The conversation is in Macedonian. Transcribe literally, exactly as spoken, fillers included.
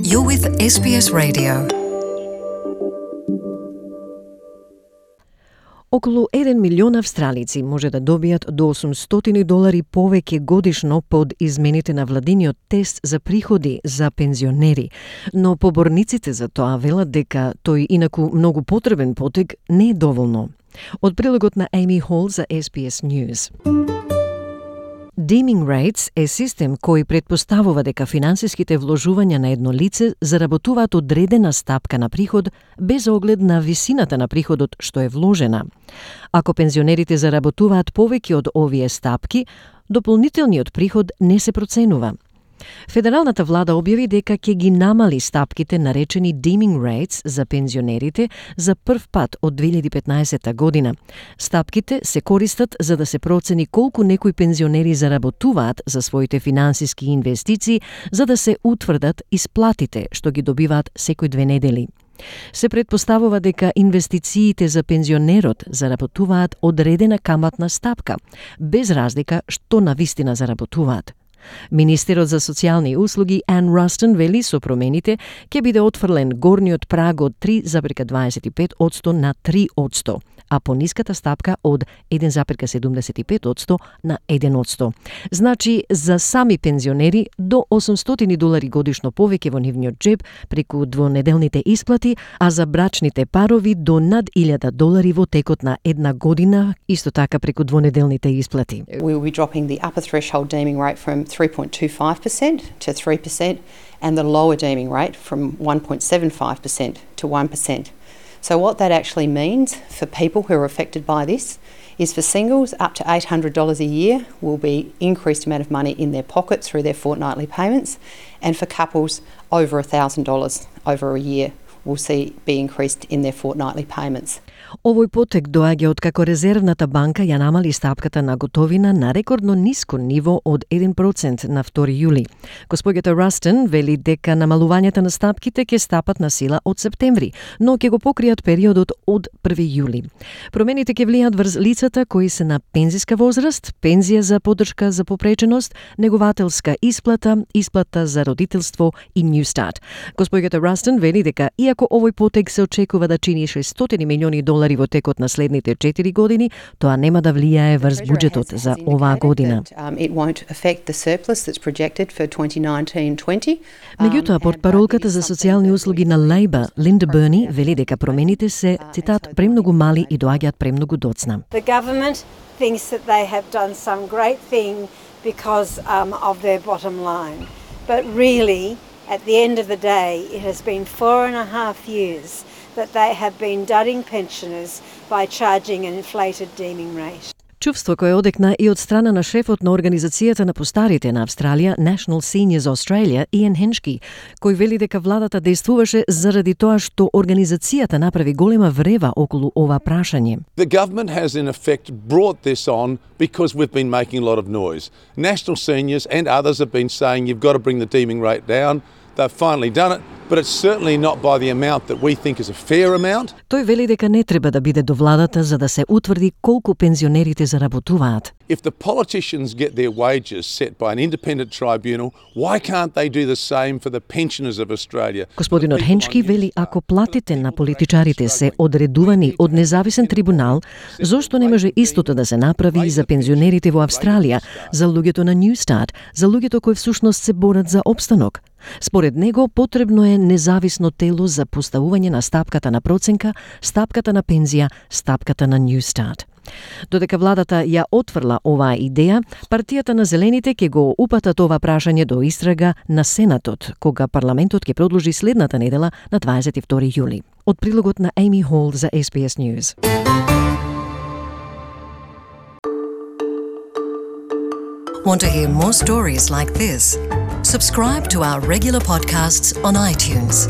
You're with Ес Би Ес Radio. Околу еден милион австралици може да добијат до осумстотини долари повеќе годишно под измените на владиниот тест за приходи за пензионери, но поборниците за тоа велат дека тој инаку многу потребен потег не е доволно. Од прилогот на Amy Hall за Ес Би Ес News. Deeming rates е систем кој претпоставува дека финансиските вложувања на едно лице заработуваат одредена стапка на приход без оглед на висината на приходот што е вложена. Ако пензионерите заработуваат повеќе од овие стапки, дополнителниот приход не се проценува. Федералната влада објави дека ќе ги намали стапките наречени deeming rates за пензионерите за прв пат од две илјади и петнаесетта година. Стапките се користат за да се процени колку некои пензионери заработуваат за своите финансиски инвестиции, за да се утврдат исплатите што ги добиваат секој две недели. Се претпоставува дека инвестициите за пензионерот заработуваат одредена каматна стапка, без разлика што навистина заработуваат. Министерот за социјални услуги Ан Растон вели со промените ќе биде отфрлен горниот праг од три зарез дваесет и пет одсто на три одсто, а пониската стапка од еден зарез седумдесет и пет одсто на еден одсто. Значи, за сами пензионери до осумстотини долари годишно повеќе во нивниот джеб преку двонеделните исплати, а за брачните парови до над илјада долари во текот на една година, исто така преку двонеделните исплати. We will be dropping the upper threshold deeming rate from three point two five percent to three percent and the lower deeming rate from one point seven five percent to one percent. So what that actually means for people who are affected by this is for singles up to eight hundred dollars a year will be increased amount of money in their pocket through their fortnightly payments, and for couples over one thousand dollars over a year will see be increased in their fortnightly payments. Овој потек доаѓа од како Резервната банка ја намали стапката на готовина на рекордно ниско ниво од еден процент на втори јули. Господјата Растон вели дека намалувањата на стапките ќе стапат на сила од септември, но ќе го покријат периодот од први јули. Промените ќе влијат врз лицата кои се на пензиска возраст, пензија за поддршка за попреченост, негователска исплата, исплата за родителство и Newstart. Господјата Растон вели дека иако овој потек се очекува да чини шестстотини милиони долари во текот на следните четири години, тоа нема да влијае врз буџетот за оваа година. Меѓутоа, портпаролката за социјални услуги на Лейбор, Линда Берни, вели дека промените се, цитат, премногу мали и доаѓаат премногу доцна. The government thinks that they have done some great thing because um, of their bottom line. But really, at the end of the day, it has been four and a half years that they have been dudding pensioners by charging an inflated deeming rate. Чувство кое одекна и од страна на шефот на Организацијата на постарите на Австралија, National Seniors Australia, Иан Хеншки, кој вели дека владата действуваше заради тоа што организацијата направи голема врева околу ова прашање. The government has in effect brought this on because we've been making a lot of noise. National Seniors and others have been saying you've got to bring the deeming rate down. They've finally done it, but it's certainly not by the amount that we think is a fair amount. Тој вели дека не треба да биде до владата за да се утврди колку пензионерите заработуваат. If the politicians get their wages set by an independent tribunal, why can't they do the same for the pensioners of Australia? Господинот Хенчки вели ако платите на политичарите се одредувани од независен трибунал, зошто не може истото да се направи и за пензионерите во Австралија, за луѓето на Newstart, за луѓето кои всушност се борат за опстанок? Според него потребно е независно тело за поставување на стапката на проценка, стапката на пензија, стапката на Newstart. Додека владата ја отфрла оваа идеја, партијата на Зелените ќе го упатат ова прашање до истрага на Сенатот, кога парламентот ќе продолжи следната недела на дваесет и втори јули. Од прилогот на Amy Hall за Ес Би Ес News. Want to hear more stories like this? Subscribe to our regular podcasts on iTunes.